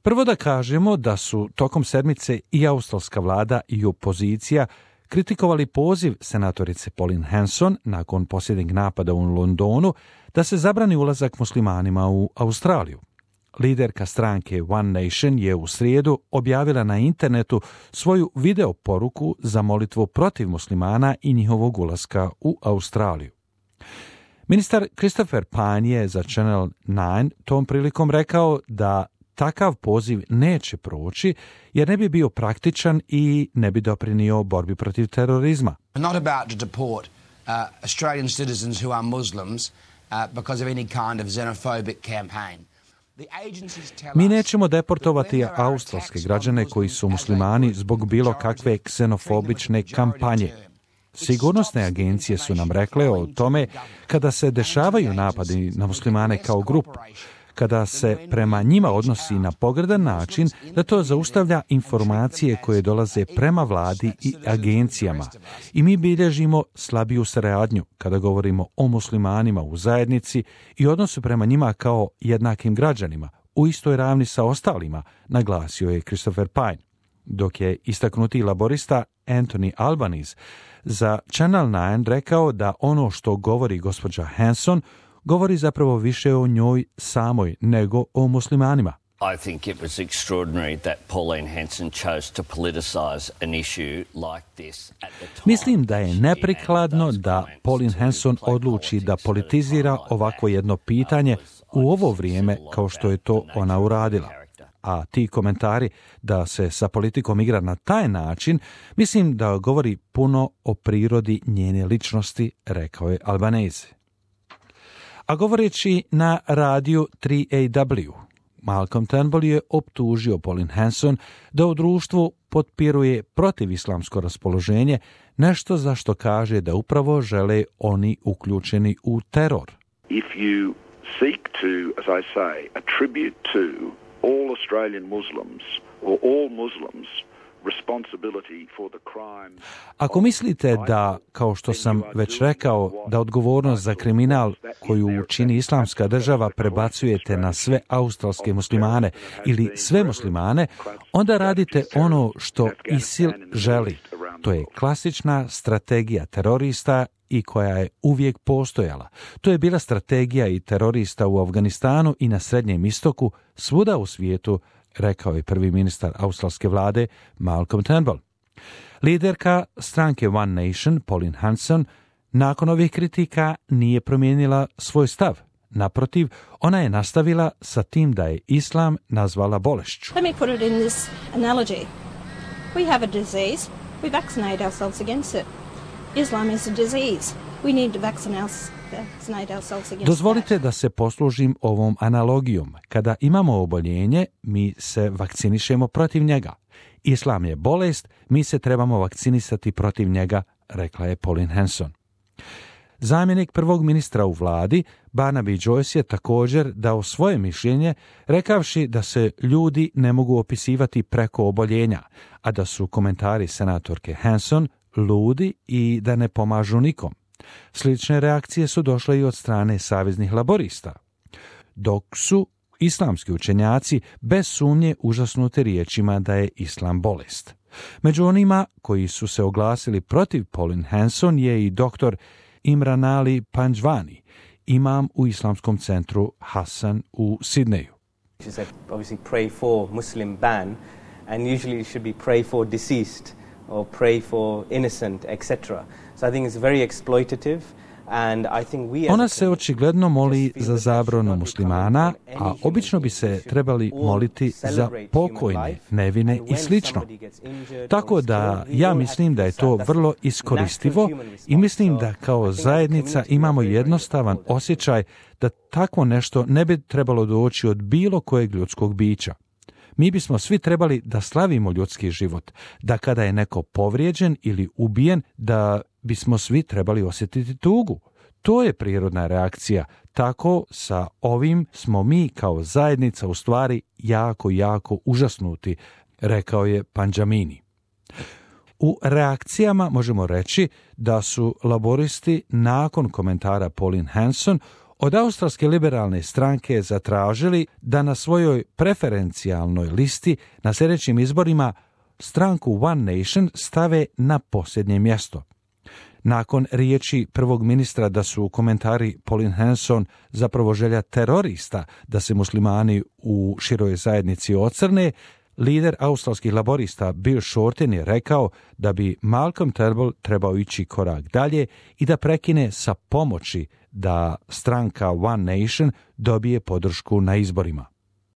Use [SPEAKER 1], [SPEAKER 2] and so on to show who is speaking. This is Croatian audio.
[SPEAKER 1] Prvo da kažemo da su tokom sedmice i australska vlada i opozicija kritikovali poziv senatorice Pauline Hanson nakon posljednjeg napada u Londonu da se zabrani ulazak muslimanima u Australiju. Liderka stranke One Nation je u srijedu objavila na internetu svoju video poruku za molitvu protiv muslimana i njihovog ulaska u Australiju. Ministar Christopher Pyne je za Channel 9 tom prilikom rekao da takav poziv neće proći jer ne bi bio praktičan i ne bi doprinio borbi protiv terorizma.
[SPEAKER 2] Not about to deport Australian citizens who are Muslims because of any kind of xenophobic campaign.
[SPEAKER 1] Mi nećemo deportovati australske građane koji su muslimani zbog bilo kakve ksenofobične kampanje. Sigurnosne agencije su nam rekle o tome kada se dešavaju napadi na muslimane kao grupu, kada se prema njima odnosi na pogrdan način, da to zaustavlja informacije koje dolaze prema vladi i agencijama. I mi bilježimo slabiju saradnju kada govorimo o muslimanima u zajednici i odnosu prema njima kao jednakim građanima, u istoj ravni sa ostalima, naglasio je Christopher Pyne. Dok je istaknuti laborista Anthony Albanese za Channel 9 rekao da ono što govori gospođa Hanson govori zapravo više o njoj samoj nego o muslimanima.
[SPEAKER 3] I think it was extraordinary that Pauline Hanson chose to politicize an issue like this at the time.
[SPEAKER 1] Mislim da je neprikladno da Pauline Hanson odluči da politizira ovako jedno pitanje u ovo vrijeme kao što je to ona uradila. A ti komentari da se sa politikom igra na taj način, mislim da govori puno o prirodi njene ličnosti, rekao je Albanese. A govoreći na radiju 3AW, Malcolm Turnbull je optužio Pauline Hanson da u društvu potpiruje protivislamsko raspoloženje, nešto za što kaže da upravo žele oni uključeni u teror.
[SPEAKER 4] If you seek to, as I say, attribute to all Australian Muslims or all Muslims responsibility for the crime.
[SPEAKER 1] Ako mislite da, kao što sam već rekao, da odgovornost za kriminal koju čini Islamska država prebacujete na sve australske muslimane ili sve muslimane, onda radite ono što ISIL želi. To je klasična strategija terorista i koja je uvijek postojala. To je bila strategija i terorista u Afganistanu i na Srednjem istoku, svuda u svijetu, rekao je prvi ministar australske vlade Malcolm Turnbull. Liderka stranke One Nation, Pauline Hanson, nakon ovih kritika nije promijenila svoj stav. Naprotiv, ona je nastavila sa tim da je islam nazvala bolešću.
[SPEAKER 5] Let me put it in this analogy. We have a disease. We vaccinate ourselves against it. Islam is a disease. We need to vaccinate ourselves against
[SPEAKER 1] Dozvolite da se poslužim ovom analogijom. Kada imamo oboljenje, mi se vakcinišemo protiv njega. Islam je bolest, mi se trebamo vakcinisati protiv njega, rekla je Pauline Hanson. Zamjenik prvog ministra u vladi, Barnaby Joyce, je također dao svoje mišljenje, rekavši da se ljudi ne mogu opisivati preko oboljenja, a da su komentari senatorke Hanson ludi i da ne pomažu nikom. Slične reakcije su došle i od strane saveznih laborista, dok su islamski učenjaci bez sumnje užasnuti riječima da je islam bolest. Među onima koji su se oglasili protiv Pauline Hanson je i doktor Imran Ali Panjwani, imam u islamskom centru Hassan u Sidneju.
[SPEAKER 6] She said, obviously pray for Muslim ban, and usually you should be pray for deceased or pray for innocent, etc. So I think it's very exploitative.
[SPEAKER 1] Ona se očigledno moli za zabranu muslimana, a obično bi se trebali moliti za pokojne, nevine i slično. Tako da ja mislim da je to vrlo iskoristivo i mislim da kao zajednica imamo jednostavan osjećaj da takvo nešto ne bi trebalo doći od bilo kojeg ljudskog bića. Mi bismo svi trebali da slavimo ljudski život, da kada je neko povrijeđen ili ubijen, da bismo svi trebali osjetiti tugu. To je prirodna reakcija. Tako sa ovim smo mi kao zajednica u stvari jako užasnuti, rekao je Panjamini. U reakcijama možemo reći da su laboristi nakon komentara Pauline Hanson od australske liberalne stranke zatražili da na svojoj preferencijalnoj listi na sljedećim izborima stranku One Nation stave na posljednje mjesto. Nakon riječi prvog ministra da su komentari Pauline Hanson zapravo želja terorista da se muslimani u široj zajednici ocrne, lider australskih laborista Bill Shorten je rekao da bi Malcolm Turnbull trebao ići korak dalje i da prekine sa pomoći da stranka One Nation dobije podršku na izborima.